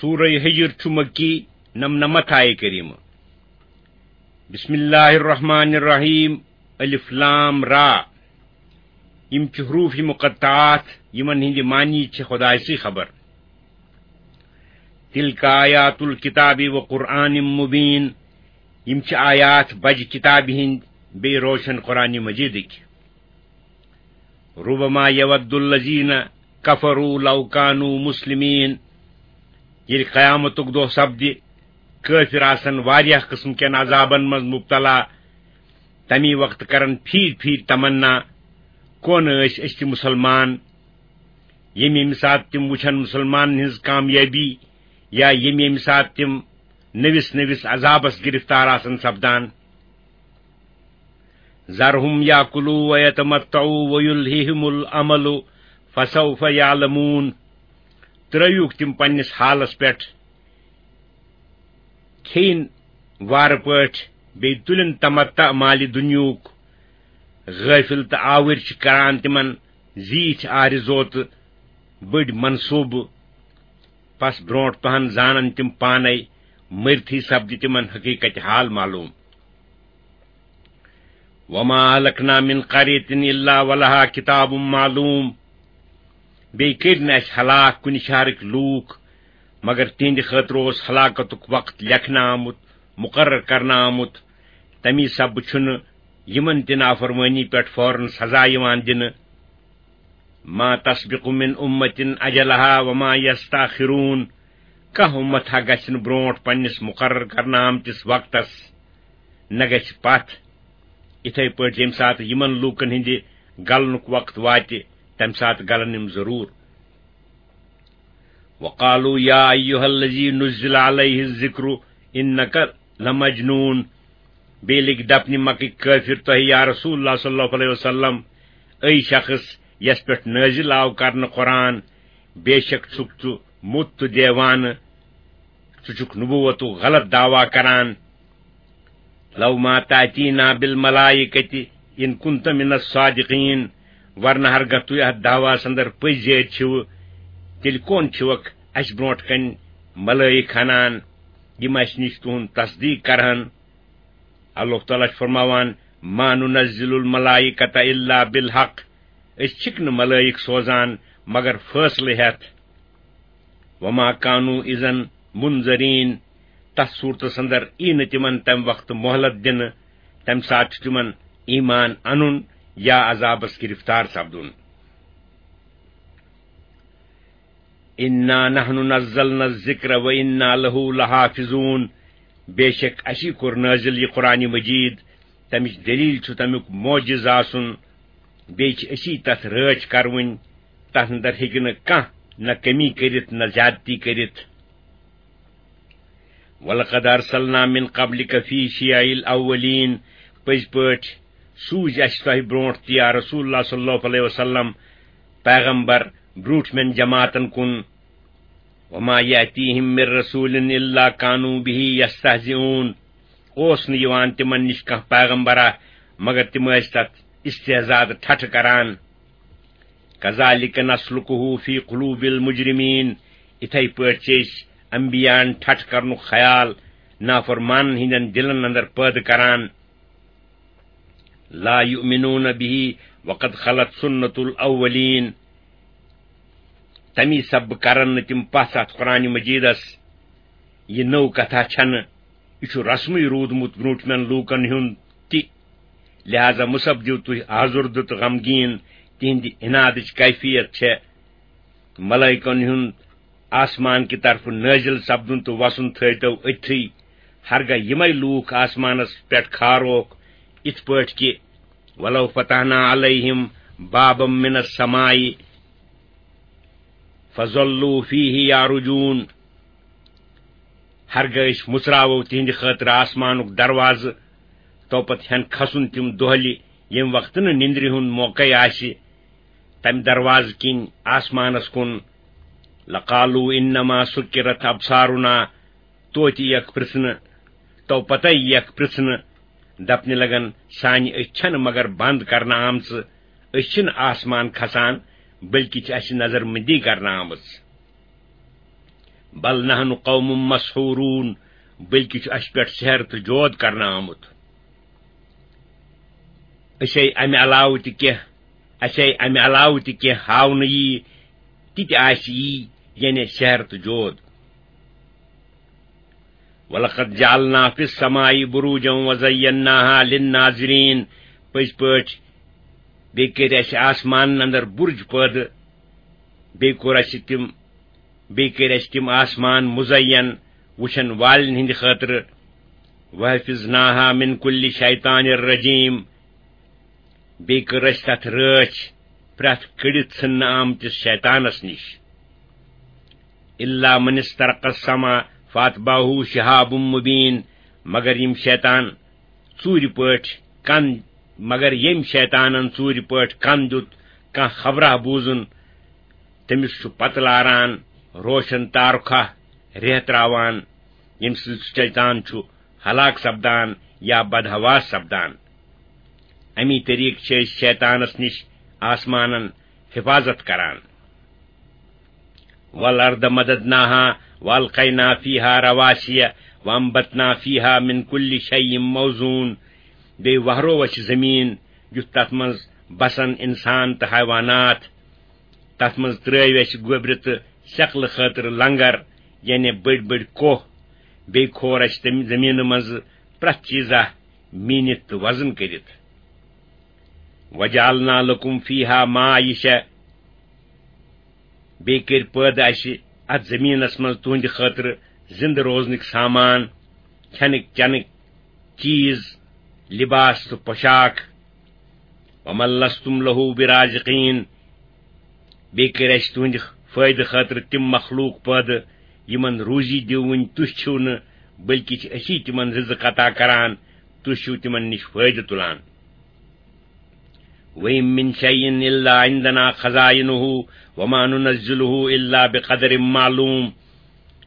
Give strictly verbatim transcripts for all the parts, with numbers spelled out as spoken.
سورہ ہجر چھُ مکی، نمنمتھ آیہ کریمہ۔ بسم اللہ الرحمن الرحیم۔ الف لام را۔ یم چھِ حروف مقطعات، یمن ہندِ معنی چھِ خدایہ سٕے خبر۔ تلک آیات الکتاب و قرآن مبین۔ یم چھِ آیات بجہِ کتابہِ ہندِ، بیٚیہِ روشن قرآن مجیدٕکۍ۔ ربما یود الذین کفروا لو کانوا مسلمین۔ ییٚلہِ قیامتُک دۄہ سپدِ، کٲفِر آسن واریاہ قٕسم کٮ۪ن عذابن منٛز مبتلا۔ تمی وقتہٕ کرن پھیٖرۍ پھیٖرۍ تمنا، کون ٲسۍ أسۍ تہِ مسلمان؟ ییٚمہِ ییٚمہِ ساتہٕ تِم وٕچھن مسلمانن ہٕنٛز کامیٲبی، یا ییٚمہِ ییٚمہِ ساتہٕ تِم نٔوِس نٔوِس عذابس گرفتار آسن سپدان۔ ذرهم یاکلوا ویتمتعوا ویلہہم الامل فسوف یعلمون۔ ترٲیوکھ تِم پننِس حالس پٮ۪ٹھ، کھیٚیِن وارٕ پٲٹھۍ، بیٚیہِ تُلِن تمتع مالہِ دُنیہُک۔ غٲفِل تہٕ آوٕرۍ چھِ کران تِمن زیٖٹھۍ آرزو تہٕ بٔڑۍ منصوٗبہٕ۔ پس برونٹھ پہن زانن تِم پانے، مٔرتھٕے سپدِ تِمن حقیقت حال معلوم۔ وما اہلکنا من قریۃ الا ولہا کتاب معلوم۔ بیٚیہِ کٔرۍ نہٕ اسہِ ہلاک کُنہِ شہرٕکۍ لوٗکھ، مگر تِہنٛدِ خٲطرٕ اوس ہلاکتُک وقت لیکھنہٕ آمُت، مقرر کرنہٕ آمُت۔ تمی سببہٕ چھُنہٕ یِمن تہِ نافرمٲنی پٮ۪ٹھ فوراً سزا یِوان دِنہٕ۔ ما تسبق من امة اجلها وما یستأخرون۔ کانٛہہ امت ہا گژھِ نہٕ برونٹھ پننِس مقرر کرنہٕ آمتِس وقتس، نہ گژھِ پتھ۔ یِتھے پٲٹھۍ ییٚمہِ ساتہٕ یِمن لوٗکن ہٕنٛدِ گلنُک وقت واتہِ، تمہِ ساتہٕ گلن یِم ضروٗر۔ وقالوا یا ایھا الذی نزل علیہ الذکر انک لمجنون۔ بیٚیہِ لٔگۍ دپنہِ مکٕکۍ کٲفِر، تۄہہِ یا رسول اللہ صلی اللہ علیہ وسلم، أے شخص یس پٮ۪ٹھ نٲزِل آو کرنہٕ قرآن، بے شک چھُکھ ژٕ موٚت تہٕ دیوانہٕ، ژٕ چھُکھ نبوتُک غلط دعویٰ کران۔ لو ما تأتینا بالملائکۃ ان کنت من الصادقین۔ ورنہ ہرگاہ تُہۍ اتھ دعویٰ اندر پٔزۍ یٲرۍ چھِو، تیٚلہِ کون چھِوکھ اسہِ برونٹھ کنہِ ملائک ہنان، یِم اسہِ نِش تُہُنٛد تصدیق کرہن؟ اللہ تعالیٰ چھُ فرماوان، ما ننزل الملائکۃ الا بالحق۔ أسۍ چھِکھ نہٕ ملائک سوزان مگر فٲصلہٕ ہٮ۪تھ۔ وما کانوا اذا منذرین۔ تتھ صورتس اندر یی نہٕ تِمن تمہِ وقتہٕ مۄہلت دِنہٕ۔ تمہِ ساتہٕ چھُ تِمن ایمان انُن یا عذابس گرفتار سپدُن۔ انا نحن نزلنا الذکر وانا لہ لحافظون۔ بے شک اسی کوٚر نٲزِل یہِ قرآن مجید، تمِچ دلیل چھُ تمیُک معجز آسُن، بیٚیہِ چھِ أسی تتھ رٲچھ کرٕوٕنۍ۔ تتھ اندر ہیٚکہِ نہٕ کانٛہہ نہ کمی کٔرِتھ نہ زیادتی کٔرِتھ۔ ولقد ارسلنا من قبلک فی شیع الاولین۔ پٔزۍ پٲٹھۍ سوٗزۍ اسہِ تۄہہِ برونٹھ تہِ یا رسول اللہ صلی اللہ علیہ وسلم پیغمبر برونٹھمٮ۪ن جماعتن کُن۔ وما یأتیہم من رسول الا کانوا بہ یستہزئون۔ اوس نہٕ یِوان تِمن نِش کانٛہہ پیغمبرا مگر تِم ٲسۍ تتھ استہزاء تہٕ ٹھٹھٕ کران۔ کذالک نسلکہ فی قلوب المجرمین۔ یِتھے پٲٹھۍ چھِ أسۍ انبیاہن ٹھٹھٕ کرنُک خیال نافرمانن ہٕنٛدٮ۪ن دِلن اندر پٲدٕ کران۔ لا یؤمنون بہ وقد خلت سنت الاولین۔ تمی سببہٕ کرن نہٕ تِم پژھ اتھ قرآن مجیدس۔ یہِ نٔو کتھا چھنہٕ، یہِ چھُ رسمٕے روٗدمُت برونٹھمٮ۪ن لوٗکن ہُنٛد تہِ۔ لہذا مہ سپدِو تُہۍ آزُردٕ تہٕ غمگیٖن تِہنٛدِ عنادٕچ کیفیت چھےٚ۔ ملائکن ہُنٛد آسمان کہِ طرفہٕ نٲزِل سپدُن تہٕ وسُن تھٲوتو أتھٕے۔ ہرگاہ یِمے لوٗکھ آسمانس پٮ۪ٹھ کھاروکھ، یِتھ پٲٹھۍ کہِ ولو فتحنا علیہم بابا من السماء فظلوا فیہ یعرجون۔ ہرگاہ أسۍ مُژراوو تِہنٛدِ خٲطرٕ آسمانُک دروازٕ، تو پتہٕ ہٮ۪ن کھسُن تِم دۄہلہِ، ییٚمہِ وقتہٕ نہٕ نِندرِ ہُنٛد موقعے آسہِ۔ تمہِ دروازٕ کِنۍ آسمانس کُن۔ لقالوا انما سکرت ابصارنا۔ توتہِ یِیَکھ پرژھنہٕ، تو پتے یِیَکھ پرژھنہٕ، دپنہِ لگن، سانہِ أچھ چھنہٕ مگر بند کرنہٕ آمژٕ، أسۍ چھِنہٕ آسمان کھسان، بلکہِ چھِ اسہِ نظر مندی کرنہٕ آمٕژ۔ بل نحن قوم مسحورون، بلکہ چھُ اَسہِ پٮ۪ٹھ سحر تہٕ جود کرنہٕ آمُت۔ أسے اَمہِ علاوٕ تہِ کینٛہہ، اَسے اَمہِ علاوٕ تہِ کینٛہہ ہاونہٕ یی، تہِ تہِ آسہِ یی، یعنی سحر تہٕ جود۔ وَلَقَدْ جَعَلْنَا فِي السَّمَاءِ بُرُوجًا وَزَيَّنَّاهَا لِلنَّاظِرِينَ، پٔزۍ پٲٹھۍ بیٚیہِ کٔرۍ اَسہِ آسمانَن اندر بُرج پٲدٕ، بیٚیہِ کوٚر اَسہِ تِم، بیٚیہِ کٔرۍ اَسہِ تِم آسمان مُزَیَّن وٕچھن والٮ۪ن ہٕنٛدِ خٲطرٕ۔ وَحَفِظْنَاهَا مِنْ كُلِّ شَيْطَانٍ رَجِيمٍ، بیٚیہِ کٔر اَسہِ تَتھ رٲچھ پرٛٮ۪تھ کٔڑِتھ ژھٕننہٕ آمتِس شیطانَس نِش۔ إِلَّا مَنِ اسْتَرَقَ السَّمْعَ فَأَتْبَعَهُ شِهَابٌ مُبِينٌ، مگر یِم شیطان ژوٗرِ پٲٹھۍ کن، مگر ییٚمۍ شیطانن ژوٗرِ پٲٹھۍ کن دیُت کانٛہہ خبراہ بوٗزُن، تٔمِس چھُ پتہٕ لاران روشن تارُکھاہ ریہہ تراوان، ییٚمہِ سۭتۍ سُہ شیطان چھُ ہلاک سپدان یا بدحواس سپدان۔ اَمی طریقہٕ چھِ أسۍ شیطانس نِش آسمانن حفاظت کران۔ وَالْأَرْضَ مَدَدْنَاهَا وَأَلْقَيْنَا فِيهَا رَوَاسِيَ وَأَنْبَتْنَا فِيهَا مِنْ كُلِّ شَيْءٍ مَوْزُونٍ، بیٚیہِ وہرو اَسہِ زٔمیٖن، یُتھ تَتھ منٛز بسن اِنسان تہٕ حیوانات۔ تَتھ منٛز ترٛٲوۍ اَسہِ گوٚبرِ تہٕ سٮ۪کلہٕ خٲطرٕ لنگر، یعنی بٔڑۍ بٔڑۍ کوہ۔ بیٚیہِ کھور اَسہِ تَمہِ زٔمیٖنہٕ منٛزٕ پرٛٮ۪تھ چیٖزا میٖنِتھ تہٕ وزن کٔرِتھ۔ وَجَعَلْنَا لَكُمْ فِيهَا مَعَايِشَ، بیٚیہِ کٔرۍ پٲدٕ اَسہِ اَتھ زٔمیٖنَس منٛز تُہٕنٛدِ خٲطرٕ زِنٛدٕ روزنٕکۍ سامان، کھٮ۪نٕکۍ چٮ۪نٕکۍ چیٖز، لِباس تہٕ پۄشاک۔ وَمَا لَسْتُمْ لَهُ بِرَازِقِينَ، بیٚیہِ کٔرۍ اَسہِ تُہٕنٛدِ فٲیدٕ خٲطرٕ تِم مخلوٗق پٲدٕ، یِمَن روٗزی دِوٕنۍ تُہۍ چھِو نہٕ، بلکہِ چھِ أسی تِمَن رِزق عطا کران، تُہۍ چھِو تِمَن نِش فٲیدٕ تُلان۔ وَإِن مِّن شَيْءٍ إِلَّا عِندَنَا خَزَائِنُهُ وَمَا نُنَزِّلُهُ إِلَّا بِقَدَرٍ مَّعْلُومٍ۔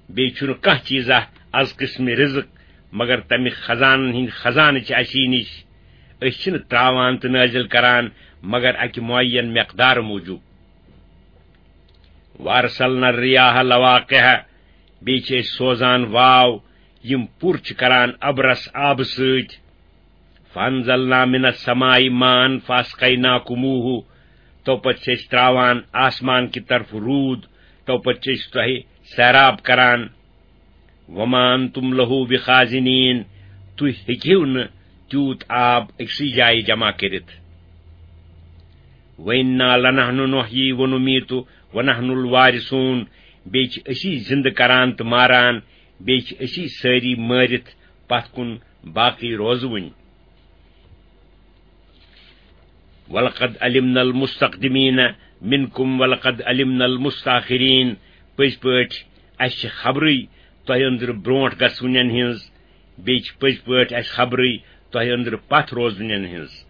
بیٚیہِ چھُنہٕ کانٛہہ چیٖزا از قٕسمِ رِزق مگر تَمہِ خزانن ہٕنٛدۍ خزانہٕ چھِ اَسی نِش۔ أسۍ چھِنہٕ ترٛاوان تہٕ نٲزِل کران مگر اَکہِ معین مقدار موٗجوٗب۔ وَأَرْسَلْنَا الرِّيَاحَ لَوَاقِحَ، بیٚیہِ چھِ أسۍ سوزان واو، یِم پُر چھِ کران اَبرَس آبہٕ سۭتۍ۔ فَأَنزَلْنَا مِنَ السَّمَاءِ مَاءً فَأَسْقَيْنَاكُمُوهُ، تو پتہٕ چھِ أسۍ ترٛاوان آسمان کہِ طرفہٕ روٗد، تو پتہٕ چھِ أسۍ تۄہہِ سیراب کران۔ وَمَا أَنْتُمْ لَهُ بِخَازِنِينَ، تُہۍ ہیٚکِو نہٕ تیوٗت آب أکسٕے جایہِ جمع کٔرِتھ۔ وَإِنَّا لَنَحْنُ نُحْيِي وَنُمِيتُ وَنَحْنُ الْوَارِثُونَ، بیٚیہِ چھِ أسی زِنٛدٕ کران تہٕ ماران، بیٚیہِ چھِ أسی سٲری مٲرِتھ پتھ کُن باقٕے روزوٕنۍ۔ وَلَقَدْ عَلِمْنَا الْمُسْتَقْدِمِينَ مِنْكُمْ وَلَقَدْ عَلِمْنَا الْمُسْتَأْخِرِينَ، پٔزۍ پٲٹھۍ اَسہِ چھِ خبرٕے تۄہہِ أنٛدرٕ برونٛٹھ گژھوٕنٮ۪ن ہٕنٛز، بیٚیہِ چھِ پٔزۍ پٲٹھۍ اَسہِ خبرٕے تۄہہِ أنٛدرٕ پتھ روزوٕنٮ۪ن ہٕنٛز۔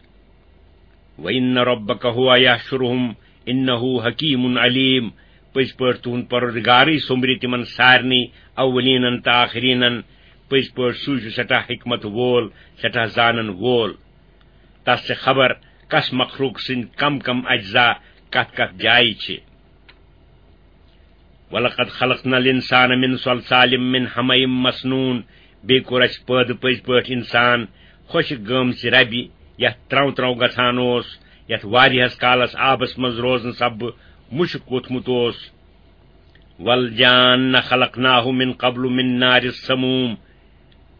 وَإِنَّ رَبَّكَ هُوَ يَحْشُرُهُمْ إِنَّهُ حَكِيمٌ عَلِيمٌ، پٔزۍ پٲٹھۍ تُہُنٛد پروردگارٕے سوٚمبرِ تِمن سارنٕے، اولینن تہٕ آخرینن۔ پٔزۍ پٲٹھۍ سُے چھُ سٮ۪ٹھاہ حکمت وول، سٮ۪ٹھاہ زانن وول۔ تس چھِ خبر کس مخلوق سٕنٛدۍ کم کم اجزا کتھ کتھ جایہِ چھِ۔ وَلَقَدْ خَلَقْنَا الْإِنسَانَ مِنْ صَلْصَالٍ مِنْ حَمَإٍ مَسْنُونٍ، بیٚیہِ کوٚر اَسہِ پٲدٕ پٔزۍ پٲٹھۍ اِنسان خۄشِک گٲمژِ رَبہِ، یَتھ ترٛو ترٛو گژھان اوس، یَتھ واریاہَس کالَس آبَس منٛز روزنہٕ سببہٕ مُشُک ووٚتھمُت اوس۔ وَالْجَانَّ خَلَقْنَاهُ مِنْ قَبْلُ مِنْ نَارِ السَّمُومِ،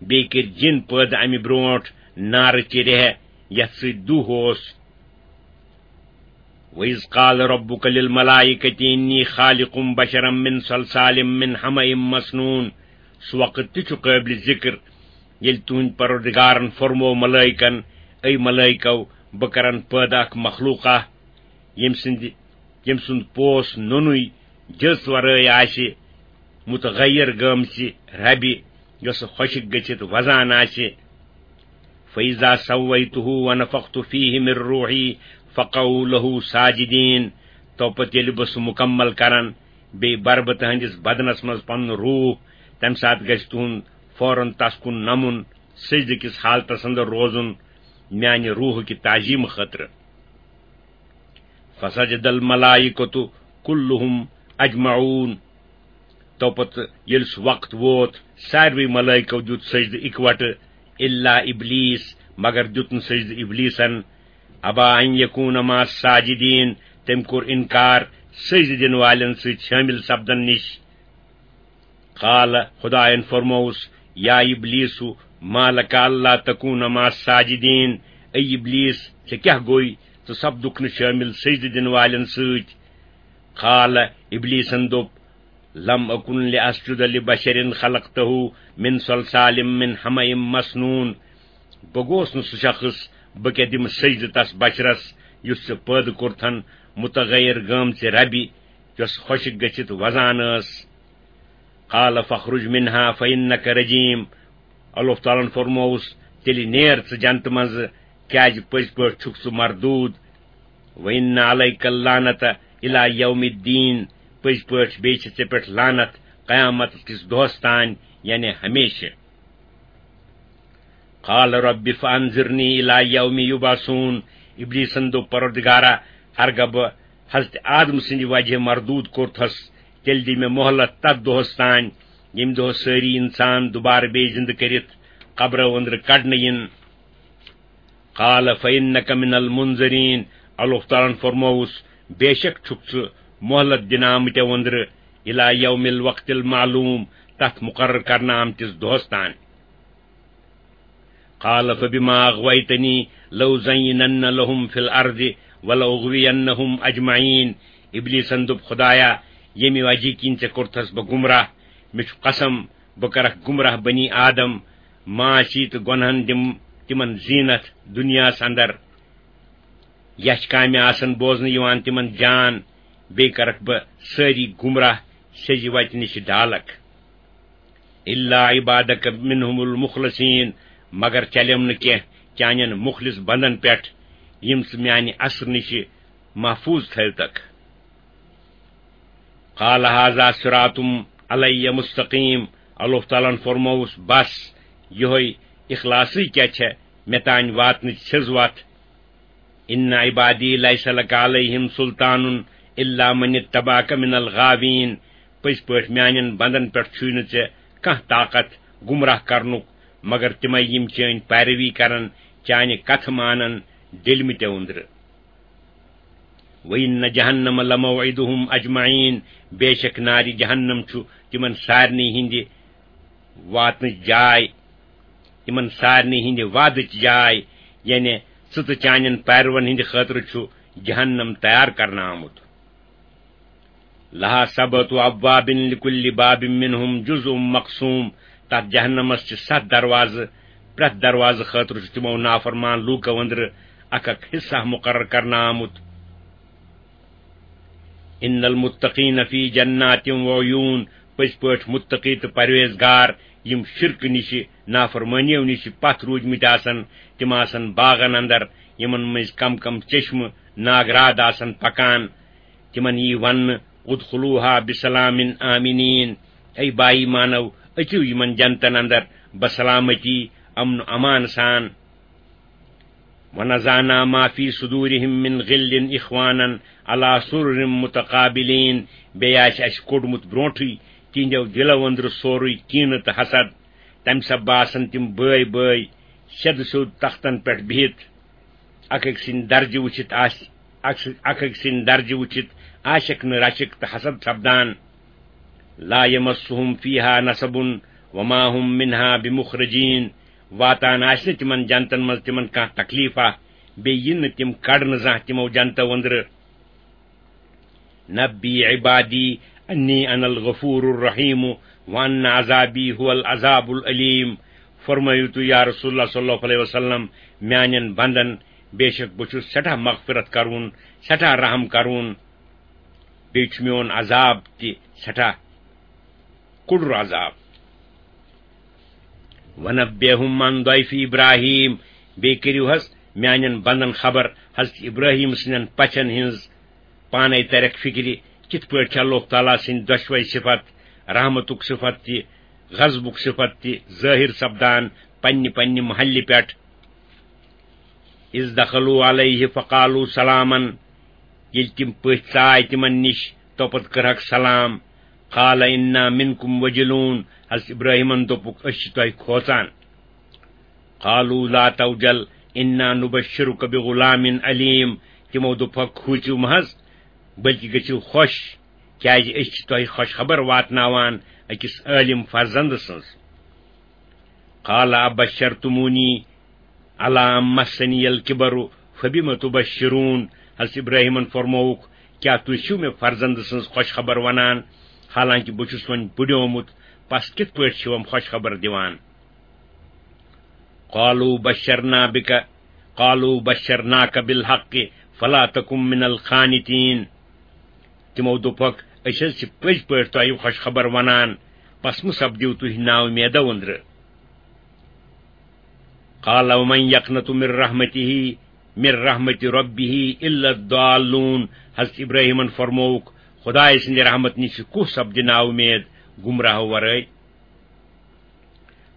بیٚیہِ کٔرۍ جِن پٲدٕ اَمہِ برونٛٹھ نارٕچہِ ریہہ، یَتھ سۭتۍ دُہ اوس۔ وَإِذْ قَالَ رَبُّكَ لِلْمَلَائِكَةِ إِنِّي خَالِقٌ بَشَرًا مِنْ صَلْصَالٍ مِنْ حَمَإٍ مَسْنُونٍ۔ سُہ وقت تہِ چھُ قٲبلِ ذِکر، ییٚلہِ تُہٕنٛدِ پروردگارن فرموو ملٲیکن، اے ملٲیکو، بہٕ کرن پٲدٕ اکھ مخلوقہ، ییٚمہِ سٕنٛدِ، ییٚمہِ سُنٛد پوس نوٚنُے جٔژ ورٲے آسہِ، متغیر گٲمژِ ربہِ، یۄسہٕ خۄشِک گٔژھِتھ وزان آسہِ۔ فَإِذَا سَوَّيْتُهُ وَنَفَخْتُ فِيهِ مِنْ رُوحِي فَقَعُوا لَهُ سَاجِدِينَ۔ تو پتہٕ ییٚلہِ بہٕ سُہ مُکمل کرن، بیٚیہِ بَرٕ بہٕ تُہٕنٛدِس بدنس منٛز پنُن روح، تَمہِ ساتہٕ گژھِ تُہُنٛد فوراً تس کُن نمُن، سجدٕ کِس حالتس اندر روزُن، میانہِ روحُکہِ تعظیٖمہٕ خٲطرٕ۔ فَسَجَدَ الْمَلَائِكَةُ كُلُّهُمْ أَجْمَعُونَ۔ تو پتہٕ ییٚلہِ سُہ وقت ووت، ساروٕے ملٲیکو دیُت سجدٕ اِکوٹہٕ، الا ابلیس، مگر دیُت نہٕ سجدٕ ابلیسن۔ ابا ان یکون مع الساجدین، تٔمۍ کوٚر انکار سجدٕ دِنہٕ والٮ۪ن سۭتۍ شٲمِل سپدن نِش۔ قال، خدایَن فرمووُس، یا ابلیس، ما لک الا تکون مع الساجدین، اے ابلیس، ژےٚ کیٛاہ گوٚے؟ ژٕ سپدُکھ نہٕ شٲمِل سجدٕ دِنہٕ والٮ۪ن سۭتۍ۔ قال، ابلیسن دوٚپ، لم اکن لاسجد لبشر خلقته من صلصال من حمأ مسنون، بہٕ گوس نہٕ سُہ شخص، بہٕ کیٛاہ دِمہٕ سجدٕ تس بشرس یُس ژےٚ پٲدٕ کوٚرتھن متغیر گٲمژِ ربہِ، یۄس خۄشِک گٔژھِتھ وزان ٲس۔ قال فاخرج منها فإنك رجيم، اللہ تعالیٰ ہن فرمووُس، تیٚلہِ نیر ژٕ جنتہٕ منٛزٕ، کیٛازِ پٔزۍ پٲٹھۍ چھُکھ ژٕ مردوٗد۔ وإن عليك اللعنة إلى يوم الدين، پٔزۍ پٲٹھۍ بیٚیہِ چھِ ژےٚ پٮ۪ٹھ لعنت قیامت کِس دۄہس تام، یعنی ہمیشہٕ۔ قال رب فانظرنی الی یوم یبعثون، ابلیسن دوٚپ، پروردگارا، ہرگاہ بہٕ حضرت آدم سٕنٛدِ وجہ مردود کوٚرتھس، تیٚلہِ دِ مےٚ مۄہلت تتھ دۄہس تام، ییٚمہِ دۄہ سٲری انسان دوبارٕ بیٚیہِ زندٕ کٔرِتھ قبرو أنٛدرٕ کڑنہٕ یِن۔ قال فانک من المنظرین، اللہ تعالیٰ ہن فرمووُس، بے شک چھُکھ ژٕ مۄہلت دِنہٕ آمٕتیو أنٛدرٕ، الی یوم الوقت المعلوم، تتھ مقرر کرنہٕ آمتِس دۄہس تام۔ قال فبما اغويتني لأزينن لهم في الأرض ولأغوينهم أجمعين۔ ابلیسن دوٚپ، خدایا، ییٚمہِ وجہ کِنۍ ژےٚ کوٚرتھس بہٕ گمراہ، مےٚ چھُ قسم، بہٕ کرکھ گمراہ بنی آدم، معاشی تہٕ گۄنہن دِم تِمن زینت دنیاہس اندر۔ یچھ کامہِ آسن بوزنہٕ یِوان تِمن جان، بیٚیہِ کرکھ بہٕ سٲری گمراہ سیٚزِ وتہِ نِش ڈالکھ۔ الا عبادک منهم المخلصین، مگر چلیٚم نہٕ کینٛہہ چانٮ۪ن مخلص بندن پٮ۪ٹھ، یِم ژٕ میانہِ اثرٕ نِش محفوظ تھٲوتکھ۔ قال هذا صراط علی مستقیم، اللہ تعالیٰ ہن فرمووُس، بس، یِہوٚے اخلاصٕے کیٛاہ چھےٚ مےٚ تانۍ واتنٕچ سیٚز وتھ۔ ان عبادی لیس لک علیہم سلطان الا من اتبعک من الغاوین، پٔزۍ پٲٹھۍ میانٮ۪ن بندن پٮ۪ٹھ چھُے نہٕ ژےٚ کانٛہہ طاقت گمراہ کرنُک، مگر تِمے یِم چٲنۍ پیروی کرن، چانہِ کتھٕ مانن، ڈٔلمٕتۍ أنٛدرٕ۔ وَإِنَّ جَهَنَّمَ لَمَوْعِدُهُمْ أَجْمَعِينَ، بے شک نارِ جہنم چھُ تِمن سارنٕے ہٕنٛدِ واتنٕچ جاے، تِمن سارنٕے ہٕنٛدِ وعدٕچ جاے، یعنی ژٕ تہٕ چانٮ۪ن پیروَن ہٕنٛدِ خٲطرٕ چھُ جہنم تیار کرنہٕ آمُت۔ لَهَا سَبْعَةُ أَبْوَابٍ لِكُلِّ بَابٍ مِنْهُمْ جُزْءٌ مَقْسُومٌ، تَتھ جہنمس چھِ ستھ دروازٕ، پرٛٮ۪تھ دروازٕ خٲطرٕ چھُ تِمو نافرمان لوٗکو أنٛدرٕ اکھ اکھ حصہٕ مُقرر کرنہٕ آمُت۔ ان المتقین فی جنات و عیون، پٔزۍ پٲٹھۍ مُتقی تہٕ پرہیزگار، یِم شرکہٕ نِشہِ، نافرمٲنیو نِشہِ پتھ روٗدمٕتۍ آسن، تِم آسن باغن اندر، یِمن مٔنٛزۍ کم کم چشمہٕ ناگراد آسن پکان۔ تِمن یی وننہٕ، ادخلوها بسلام آمنین، اے با ایمانو، أژِو یِمن جنتن اندر بسلامتی، امن و امان سان۔ ونزعنا ما فی صدورہم من غل اخوانا علی سرر متقابلین، بیٚیہِ آسہِ اَسہِ کوٚڑمُت برونٛٹھٕے تِہنٛدیو دِلو أنٛدرٕ سورُے کینہٕ تہٕ حسد، تمہِ سببہٕ آسن تِم بٲے بٲے سیٚدٕ سیوٚد تختن پٮ۪ٹھ بِہِتھ، اکھ أکۍ سٕنٛدۍ درجہٕ وٕچھِتھ آسہِ، اکھ اکھ أکۍ سٕنٛدۍ درجہٕ وٕچھِتھ آسٮ۪کھ نہٕ رشک تہٕ حسد سپدان۔ لا یمسہم فیہا نصب وما ہم منہا بمخرجین، واتان آسہِ نہٕ تِمن جنتن منٛز تِمن کانٛہہ تکلیفہ، بیٚیہِ یِن نہٕ تِم کڑنہٕ زانٛہہ تِمو جنتو أنٛدرٕ۔ نبی عبادی انی انا الغفور الرحیم وان عذابی هو العذاب العلیم۔ فرمٲیِو تُہۍ یا رسول اللہ صلی اللہ علیہ وسلم، میانٮ۪ن بندن، بے شک بہٕ چھُس سٮ۪ٹھاہ مغفرت کرون، سٮ۪ٹھاہ رحم کرون، بیٚیہِ چھُ میون عذاب تہِ سٮ۪ٹھاہ کوٚڑُر عذاب۔ وَنَبِّئْهُمْ عَنْ ضَيْفِ إِبْرَاهِيمَ، بیٚیہِ کٔرِو حض میانٮ۪ن بندن خبر حضرت ابراہیم سٕنٛدٮ۪ن پژھن ہٕنٛز۔ پانے ترکھ فکرِ، کِتھ پٲٹھۍ چھِ اللہ تعالیٰ سٕنٛدۍ دۄشوے صفت، رحمتُک صفت تہِ، غضبُک صفت تہِ، ظٲہِر سپدان پننہِ پننہِ محلہِ پٮ۪ٹھ۔ اذ دخلوا علیہ فقالوا سلاما، ییٚلہِ تِم پٔتھۍ ژاے تِمن نِش، توپتہٕ کٔرہکھ سلام۔ قال انا منکم وجلون، حضرت ابراہیمن دوٚپُکھ، أسۍ چھِ تۄہہِ کھوژان۔ قالوا لا توجل انا نبشرک بغلام علیم، تِمو دوٚپُکھ، کھوٗژِو مہ حظ، بلکہِ گٔژھِو خۄش، کیازِ أسۍ چھِ تۄہہِ خۄش خبر واتناوان أکِس عٲلِم فرزند سٕنٛز۔ قال ابشرتمونی علی ان مسنی الکبر فبم تبشرون، حضرت ابراہیمن فرمووُکھ، کیٛاہ تُہۍ چھِو مےٚ فرزند سٕنٛز خۄش خبر ونان، حالانکہِ بہٕ چھُس وۄنۍ بُڈیومُت، پس کِتھ پٲٹھۍ چھِوم خۄش خبر دِوان؟ قالوا بشرنا بک، قالوا بشرناک بالحق فلا تکن من القانطین۔ تِمو دوٚپُکھ، أسۍ حظ چھِ پٔزۍ پٲٹھۍ تۄہہِ خۄش خبر ونان، پس مہٕ سپدِو تُہۍ نااُمیدو أنٛدرٕ۔ قال ومن یقنط من رحمته، من رحمت ربه الا الضالون، حضرت ابراہیمن فرمووُکھ، خدایہِ سٕنٛدِ رحمت نِش کُس سپدِ نااُمید گمراہو ورٲے؟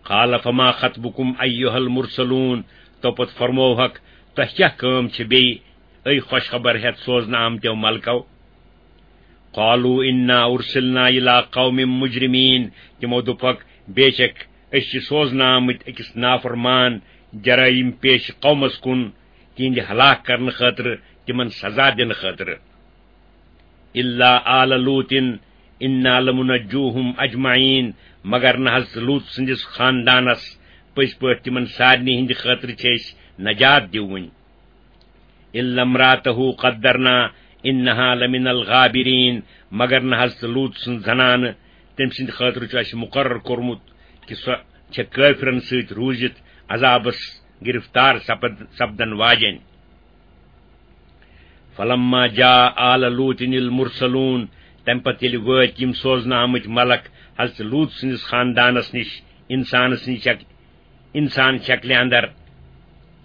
قال فما خطبکم ایھا المرسلون، تو پتہٕ فرمووہکھ، تۄہہِ کیٛاہ کٲم چھِ بیٚیہِ، اے خۄش خبر ہٮ۪تھ سوزنہٕ آمتیو ملکو؟ قالوا انا ارسلنا الی قوم مجرمین، تِمو دوٚپُکھ، بے شک أسۍ چھِ سوزنہٕ آمٕتۍ أکِس نافرمان جرائم پیش قومس کُن، تِہنٛدِ ہلاک کرنہٕ خٲطرٕ، تِمن سزا دِنہٕ خٲطرٕ۔ الا آل لوط انا لمنجوہم اجمعین، مگر نہ حضرت لوط سٕنٛدِس خاندانس، پٔزۍ پٲٹھۍ تِمن سارنٕے ہٕنٛدِ خٲطرٕ چھِ أسۍ نجات دِوٕنۍ۔ الا امرأته قدرنا انها لمن الغابرین، مگر نہ حضرت لوط سٕنٛز زنانہٕ، تٔمۍ سٕنٛدِ خٲطرٕ چھُ اَسہِ مُقرر کوٚرمُت کہِ سۄ چھےٚ کٲفرن سۭتۍ روٗزِتھ عذابس گرفتار سپد-، سپدن واجٮ۪ن۔ فلما جاء آل لوط المرسلون، تمہِ پتہٕ ییٚلہِ وٲتۍ یِم سوزنہٕ آمٕتۍ ملک حضرت لوط سٕنٛدِس خاندانس نِش، انسان سٕنٛدِ شک-، انسان شکلہِ اندر،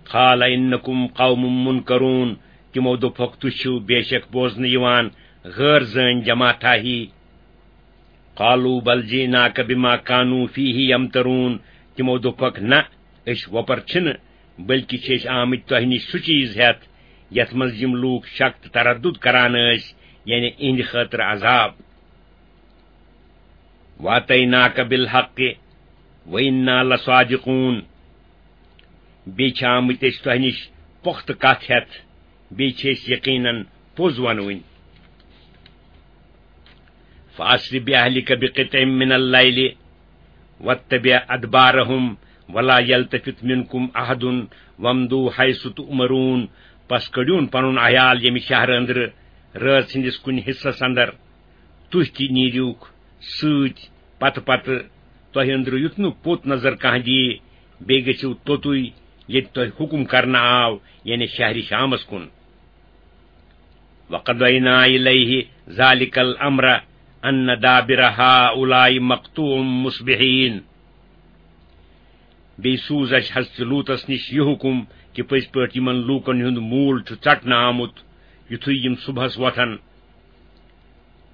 قال انکم قوم منکرون، تِمو دوٚپُکھ، تُہۍ چھِو بے شک بوزنہٕ یِوان غٲر زٲنۍ جماعتھا ہی۔ قالوا بل جئناک بما كانوا فيه يمترون، تِمو دوٚپُکھ، نہ، أسۍ وۄپر چھِنہٕ، بلکہِ چھِ أسۍ آمٕتۍ تۄہہِ نِش سُہ چیٖز ہٮ۪تھ، یَتھ منٛز یِم لوٗکھ شک تہٕ تردُد کران ٲسۍ، یعنی اِہِنٛدِ خٲطرٕ عذاب۔ واتیناک بالحق وانا لصادقون، بیٚیہِ چھِ آمٕتۍ أسۍ تۄہہِ نِش پۄختہٕ کتھ ہٮ۪تھ، بیٚیہِ چھِ أسۍ یقیناً پوٚز ونوٕنۍ۔ فاسر باہلک بقطع من اللیل واتبع ادبارهم ولا يلتفت منكم احد وامضوا حيث تؤمرون، پس کٔڑِوُن پنُن عیال ییٚمہِ شہرٕ أنٛدرٕ رٲژ ہٕنٛدِس کُنہِ حصس اندر، تُہۍ تہِ نیٖرِوُکھ سۭتۍ پتہٕ پتہٕ تۄہہِ أنٛدرٕ، یُتھ نہٕ پوٚت نظر کانٛہہ دِیہِ، بیٚیہِ گٔژھِو توٚتُے ییٚتہِ تۄہہِ حُکُم کرنہٕ آو، یعنی شہرِ شامس کُن۔ وقضینا الیہ ذلک الامر ان دابر هؤلاء مقطوع مصبحین۔ بیٚیہِ سوٗز اَسہِ حضرت لوٗطس نِش یہِ حُکُم کہِ پٔزۍ پٲٹھۍ یِمن لوٗکن ہُنٛد موٗل چھُ ژٹنہٕ آمُت، یُتھُے یِم صُبحس وۄتھن۔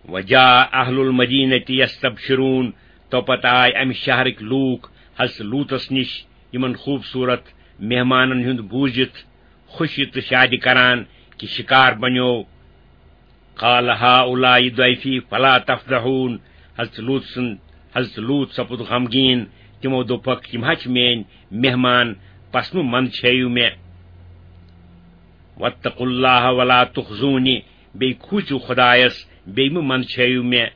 وجاء اہل المدینہ یستبشرون، تو پتہٕ آے امہِ شہرٕکۍ لوٗکھ حضرت لوٗطس نِش یِمن خوٗبصوٗرت مہمانن ہُنٛد بوٗزِتھ خوشی تہٕ شادِ کران کہِ شکار بنیو۔ قال هؤلاء ضیفی فلا تفضحون، حضرت لوٗط سُنٛد، حضرت لوٗط سپُد غمگیٖن، تِمو دوٚپکھ، یِم ہا چھِ میٲنۍ مہمان، پس مہٕ منٛدچھٲیِو مےٚ۔ واتقوا اللہ ولا تخزونی، بیٚیہِ کھوٗژِو خۄدایس، بیٚیہِ مہٕ منٛدچھٲیِو مےٚ۔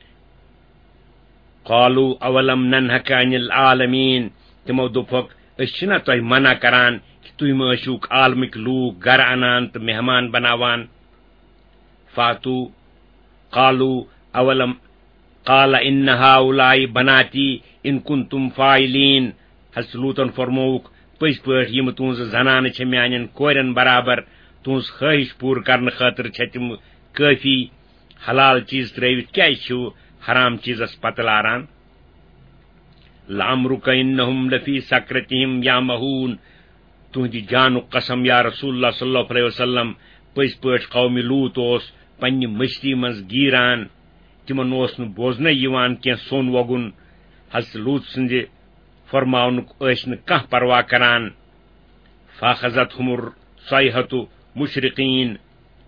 قالوا اولم ننهک عن العالمین، تِمو دوٚپُکھ، أسۍ چھِنا تۄہہِ منع کران کہِ تُہۍ مہ ٲسِوُکھ عالمٕکۍ لوٗکھ گرٕ انان تہٕ مہمان بناوان؟ فاتو، قالوا اولم، قال ان هؤلاء بناتی ان کنتم فاعلین، حضرت لوٗطن فرمووُکھ، پٔزۍ پٲٹھۍ یِم تُہنٛزٕ زنانہٕ چھےٚ میانٮ۪ن کورٮ۪ن برابر، تُہنٛز خٲہِش پوٗرٕ کرنہٕ خٲطرٕ چھےٚ تِم کٲفی۔ حلال چیٖز ترٲوِتھ کیازِ چھِو حرام چیٖزس پتہٕ لاران؟ لعمرک انہم لفی سکرتہم یعمہون، تُہنٛدِ جانُک قسم یا رسول اللہ صلی اللہ علیہ وسلم، پٔزۍ پٲٹھۍ قومِ لوٗط اوس پننہِ مستی منٛز گیٖران، تِمن اوس نہٕ بوزنَے یِوان کینٛہہ سوٚن وۄگُن، حضرت لوٗط سٕنٛدِ فرماونُک ٲسۍ نہٕ کانٛہہ پرواہ کران۔ فاخذتہم الصیحۃ مشرقین،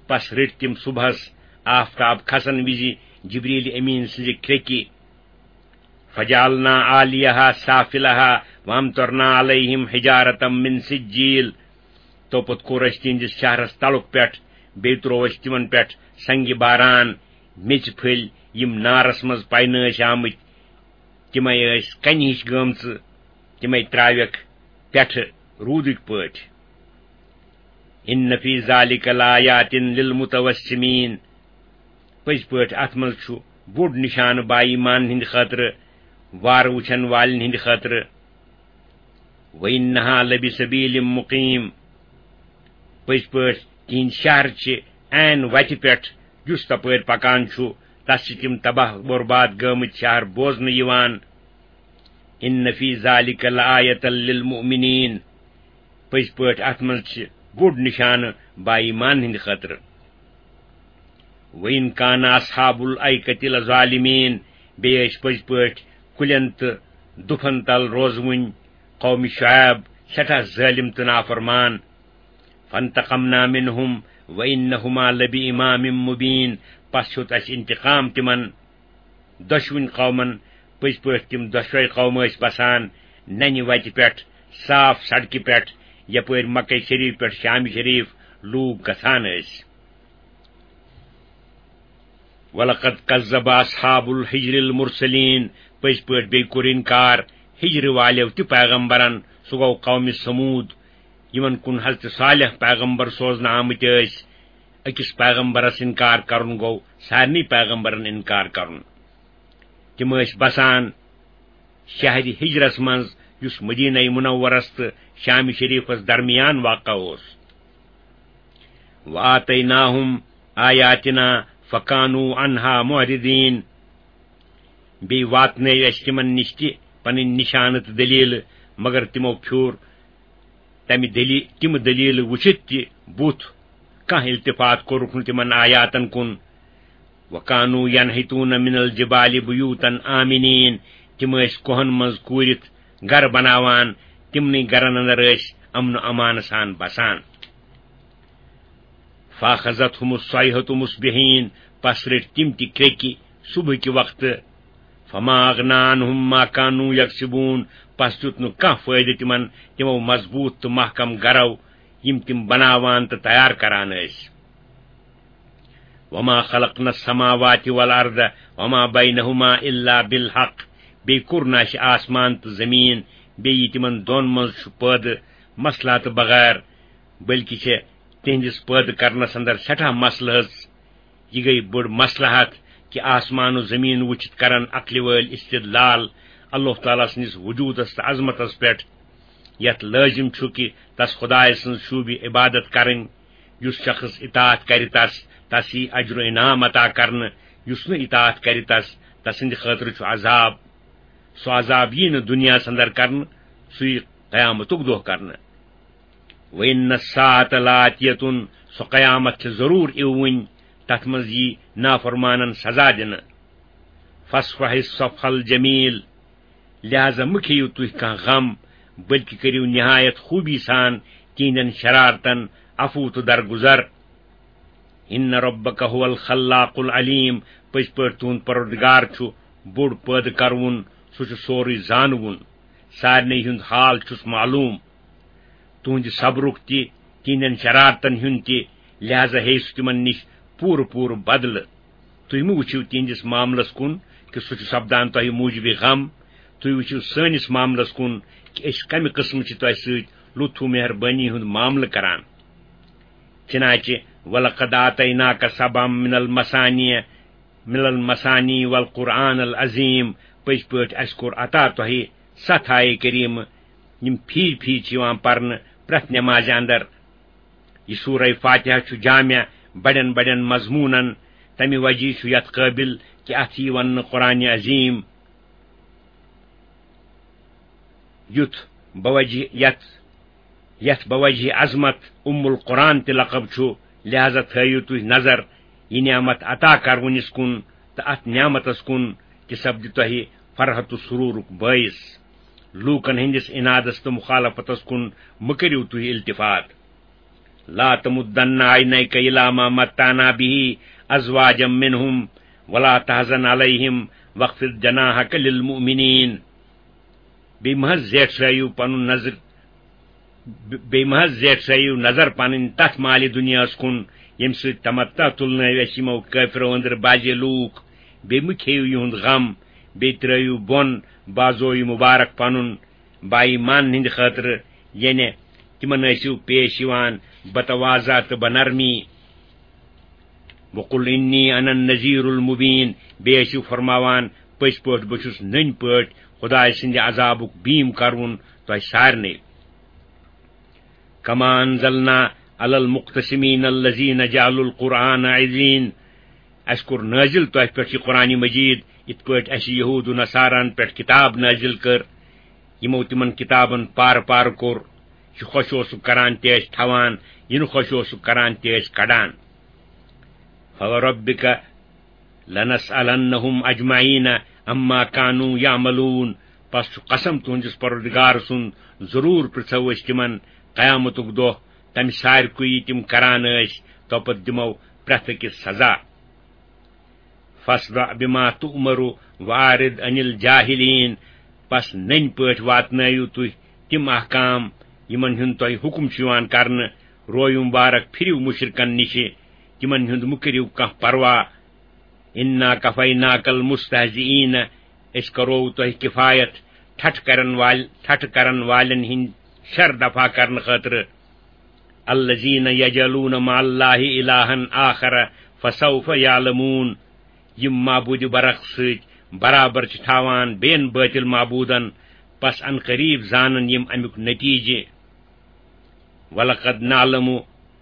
پس رٔٹۍ تِم صبحس آفتاب کھسن وِزِ جبریل امین سٕنٛزِ کرٛیٚکہِ۔ فجعلنا عاليها سافلها وامطرنا عليهم حجارة من سجيل۔ تو پتہٕ کوٚر اَسہِ تِہنٛدِس شہرس تلُک پٮ۪ٹھ، بیٚیہِ تروو اَسہِ تِمن پٮ۪ٹھ سنگِ باران، میٚژِ پھٔلۍ، یِم نارس منٛز پینہٕ ٲسۍ آمٕتۍ، تِمے ٲسۍ کنہِ ہِش گٲمژٕ، تِمے تراوٮ۪کھ پٮ۪ٹھٕ روٗدٕکۍ پٲٹھۍ۔ ان فی ذلک لآیات للمتوسمین۔ پٔزۍ پٲٹھۍ اتھ منٛز چھُ بوٚڑ نشانہٕ با ایمان ہٕنٛدِ خٲطرٕ، وارٕ وٕچھن والٮ۪ن ہٕنٛدِ خٲطرٕ۔ وانہا لبسبیل مقیم۔ پٔزۍ پٲٹھۍ تِہنٛدۍ شہر چھِ عین وتہِ پٮ۪ٹھ، یُس تپٲرۍ پکان چھُ، تس چھِ تِم تباہ برباد گٲمٕتۍ شہر بوزنہٕ یِوان۔ ان فی ذلک لآیة للمؤمنین۔ پٔزۍ پٲٹھۍ اتھ منٛز چھِ بوٚڑ نشانہٕ با ایمان ہٕنٛدِ خٲطرٕ۔ وَإِنْ كَانَ أَصْحَابُ الْأَيْكَةِ لَظَالِمِينَ۔ بیٚیہِ ٲسۍ پٔزۍ پٲٹھۍ کُلٮ۪ن تہٕ دُپھن تل روزوٕنۍ قومِ شعیب سٮ۪ٹھاہ ظٲلِم تہٕ نافرمان۔ فَانْتَقَمْنَا مِنْهُمْ وَإِنَّهُمَا لَبِإِمَامٍ مُبِينٍ۔ پس ہیوٚت اَسہِ انتقام تِمن دۄشوٕنۍ قومن۔ پٔزۍ پٲٹھۍ تِم دۄشوے قومہٕ ٲسۍ بسان ننہِ وتہِ پٮ۪ٹھ، صاف سڑکہِ پٮ۪ٹھ، یپٲرۍ مکہ شریف پٮ۪ٹھ شام شریف لوٗکھ گژھان ٲسۍ۔ وَلَقَدْ كَذَّبَ أَصْحَابُ الْحِجْرِ الْمُرْسَلِينَ۔ پٔزۍ پٲٹھۍ بیٚیہِ کوٚر انکار ہجرٕ والٮ۪و تہِ پیغمبرن، سُہ گوٚو قومِ ثمود، یِمن کُن حضرت صالح پیغمبر سوزنہٕ آمٕتۍ ٲسۍ۔ أکِس پیغمبرس انکار کرُن گوٚو سارنٕے پیغمبرن انکار کرُن۔ تِم ٲسۍ بسان شہرِ ہجرس منٛز، یُس مدینہ منورس تہٕ شام شریفس درمیان واقع اوس۔ وَآتَيْنَاهُمْ آيَاتِنَا فَكَانُوا عَنْهَا مُعْرِضِينَ۔ بیٚیہِ واتنٲوۍ اَسہِ تِمن نِش تہِ پنٕنۍ نِشانہٕ تہٕ دٔلیٖلہٕ، مگر تِمو پھیوٗر تمہِ دٔلی-، تِم دٔلیٖلہٕ وٕچھِتھ تہِ بُتھ، کانٛہہ التفات کوٚرُکھ نہٕ تِمن آیاتن کُن۔ وَكَانُوا يَنْحِتُونَ مِنَ الْجِبَالِ بُيُوتًا آمِنِينَ۔ تِم ٲسۍ کوہن منٛز کوٗرِتھ گرٕ بناوان، تِمنٕے گرن اندر ٲسۍ امن و امان سان بسان۔ فَأَخَذَتْهُمُ الصَّيْحَةُ مُصْبِحِينَ۔ پس رٔٹۍ تِم تہِ کرٛیٚکہِ صبحٕکہِ وقتہٕ۔ فَمَا أَغْنَىٰ عَنْهُمْ مَا كَانُوا يَكْسِبُونَ۔ پس دیُت نہٕ کانٛہہ فٲیدٕ تِمن تِمو مضبوٗط تہٕ محکم گرو، یِم تِم بناوان تہٕ تیار کران ٲسۍ۔ وَمَا خَلَقْنَا السَّمَاوَاتِ وَالْأَرْضَ وَمَا بَيْنَهُمَا إِلَّا بِالْحَقِّ۔ بیٚیہِ کوٚر نہٕ اَسہِ آسمان تہٕ زٔمیٖن، بیٚیہِ یہِ تِمن دۄن منٛز چھُ پٲدٕ مصلحتہٕ بغٲر، بلکہِ چھِ تِہنٛدِس پٲدٕ کرنس اندر سٮ۪ٹھاہ مسلہٕ ہٕژ۔ یہِ گٔیہِ بٔڑ مصلحت کہِ آسمان و زٔمیٖن وٕچھِتھ کرن عقلہِ وٲلۍ استدلال اللہ تعالیٰ سٕنٛدِس وجوٗدس تہٕ عظمتس پٮ۪ٹھ، یتھ لٲزم چھُ کہِ تس خدایہِ سٕنٛز شوٗبہِ عبادت کرٕنۍ۔ یُس شخص اطاعت کرِ تس، تس یی اجر و انعام عطا کرنہٕ۔ یُس نہٕ اطاعت کرِ تس، تسٕنٛدِ خٲطرٕ چھُ عذاب۔ سُہ عذاب یی نہٕ دُنیاہس اندر کرنہٕ، سُہ یی قیامتُک دۄہ کرنہٕ۔ وَإِنَّ السَّاعَةَ لَآتِيَةٌ، سۄ قیامت چھِ ضروٗر یِوٕنۍ، تتھ منٛز یی نافرمانن سزا دِنہٕ۔ فَاصْفَحِ الصَّفْحَ الْجَمِيلَ۔ لہذا مہٕ کھیٚیِو تُہۍ کانٛہہ غم، بلکہِ کٔرِو نہایت خوٗبی سان تِہنٛدٮ۪ن شرارتن عفو تہٕ درگُزر۔ إِنَّ رَبَّكَ هُوَ الْخَلَّاقُ الْعَلِيمُ۔ پٔزۍ پٲٹھۍ تُہُنٛد پروردگار چھُ بوٚڑ پٲدٕ کرون، سُہ چھُ سورُے زانوُن، سارنٕے ہُنٛد حال چھُس معلوم۔ تُہنٛدِ صبرُک تہِ، تِہنٛدٮ۪ن شرارتن ہُنٛد تہِ، لہذا ہیٚیہِ سُہ تِمن نِش پوٗرٕ پوٗرٕ بدلہٕ۔ تُہۍ مہٕ وٕچھِو تِہنٛدِس معاملس کُن کہِ سُہ چھُ سپدان تۄہہِ موٗجوٗبِ غم، تُہۍ وٕچھِو سٲنِس معاملس کُن کہِ أسۍ کمہِ قٕسمہٕ چھِ تۄہہِ سۭتۍ لطف و مہربٲنی ہُنٛد معاملہٕ کران۔ چنانچہ وَلَقَدْ آتَيْنَاكَ سَبْعًا مِنَ الْمَثَانِي، مِنَ الْمَثَانِي وَالْقُرْآنَ الْعَظِيمَ۔ پٔزۍ پٲٹھۍ اَسہِ کوٚر عطا تۄہہِ ستھ آیہِ کریٖمہٕ، یِم پھیٖرۍ پھیٖرۍ چھِ یِوان پرنہٕ پرٛٮ۪تھ نٮ۪مازِ اندر۔ یہِ سورہ فاتحہ چھُ جامع بڑٮ۪ن بڑٮ۪ن مضموٗنن، تمہِ وجہ چھُ یتھ قٲبل کہِ اتھ یی وننہٕ قرآن عظیم۔ یُتھ بوجہ، یتھ، یتھ بوجہ عظمت ام القرآن تہِ لقب چھُ، لہذا تھٲیِو تُہۍ نظر یہِ نعمت عطا کرونِس کُن تہٕ اتھ نعمتس کُن، تہِ سپدِ تۄہہِ فرحت و سرورُک بٲعث۔ لوٗکن ہٕنٛدِس عنادس تہٕ مخالفتس کُن مہٕ کٔرِو تُہۍ التفات۔ لا تمدن عینیک الی ما متعنا به ازواجا منهم ولا تحزن علیهم واخفض جناحک للمؤمنین۔ بیٚیہِ مہ حظ زیٹھرٲیِو پنُن نظر، بیٚیہِ مہ حظ زیٹھرٲیِو نظر پنٕنۍ تتھ مالہِ دُنیاہس کُن، ییٚمہِ سۭتۍ تمتع تُلنٲوۍ اَسہِ یِمو کٲفرو أنٛدرٕ بعضے لوٗکھ۔ بیٚیہِ مہ کھیٚیِو یِہُنٛد غم، بیٚیہِ ترٲیِو بۄن بازویہِ مُبارک پنُن۔ بایمان ہٕنٛدِ خٲطرٕ، یعنی تِمن ٲسِو پیش یِوان بتواضع تہٕ بنرمی۔ وقل انی انا النذیر المبین، بیٚیہِ ٲسِو فرماوان، پٔزۍ پٲٹھۍ بہٕ چھُس نٔنۍ پٲٹھۍ خدایہِ سٕنٛدِ عذابُک بیٖم کرون تۄہہِ سارنٕے۔ کما انزلنا علی المقتسمین الذین جعلوا القرآن عضین، اَسہِ کوٚر نٲزِل تۄہہِ پٮ۪ٹھ یہِ قرآن مجید، یِتھ پٲٹھۍ اَسہِ یہوٗد و نصاران پٮ۪ٹھ کتاب نٲزِل کٔر، یِمو تِمن کتابن پارٕ پارٕ کوٚر۔ یہِ خۄش اوسُکھ کران تہِ ٲسۍ تھاوان، یہِ نہٕ خۄش اوسُکھ کران تہِ ٲسۍ کڑان۔ فوربک لنسألنهم اجمعین عما کانوا یعملون۔ پس چھُ قسم تُہنٛدِس پروردگار سُنٛد، ضروٗر پرژھو أسۍ تِمن قیامتُک دۄہ تمہِ سارِکُے یہِ تِم کران ٲسۍ، توپتہٕ دِمو پرٛٮ۪تھ أکِس سزا۔ فاصدع بما تؤمر واعرض عن الجاہلین۔ پس نٔنۍ پٲٹھۍ واتنٲیِو تُہۍ تِم احکام، یِمن ہُنٛد تۄہہِ حُکم چھُ یِوان کرنہٕ، روے مُبارک پھِرِو مُشرکن نِشہِ، تِمن ہُنٛد مہٕ کٔرِو کانٛہہ پرواہ۔ انا کفیناک المستہزئین، أسۍ کرو تۄہہِ کفایت ٹھٹھ کرن وال-، ٹھٹھ کرن والٮ۪ن ہٕنٛدۍ شر دفع کرنہٕ خٲطرٕ۔ الذین یجعلون مع اللہ الہا آخر فسوف یعلمون، یِم معبوٗدِ برحق سۭتۍ برابر چھِ تھاوان بیٚین بٲطِل معبوٗدن، پس ان قریب زانن یِم امیُک نتیجہِ۔ ولقد نعلم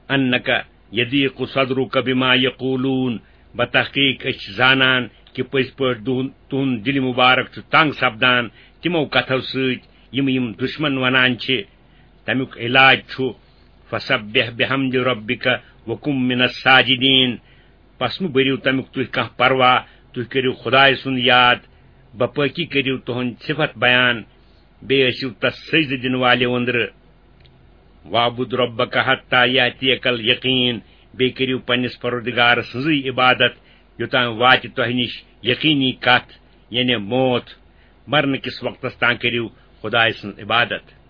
انک یضیق صدرک بما یقولون، بتحقیق أسۍ چھِ زانان کہِ پٔزۍ پٲٹھۍ دُہُن-، تُہُنٛد دِلہِ مُبارک چھُ تنگ سپدان تِمو کتھو سۭتۍ یِم یِم دُشمن ونان چھِ۔ تمیُک علاج چھُ، فسبح بحمد ربک وکم من الساجدین۔ پس مہٕ بٔرِو تمیُک تُہۍ کانٛہہ پرواہ، تُہۍ کٔرِو خدایہِ سُنٛد یاد، بپٲکی کٔرِو تُہنٛد صفت بیان، بیٚیہِ ٲسِو تس سجدٕ دِنہٕ والٮ۪و أنٛدرٕ۔ واعبد ربک حتی یاتیک الیقین، بیٚیہِ کٔرِو پننِس پروردگار سٕنٛزٕے عبادت، یوٚتام واتہِ تۄہہِ نِش یقینی کتھ، یعنی موت۔ مرنہٕ کِس وقتس تام کٔرِو خدایہِ سٕنٛز عبادت۔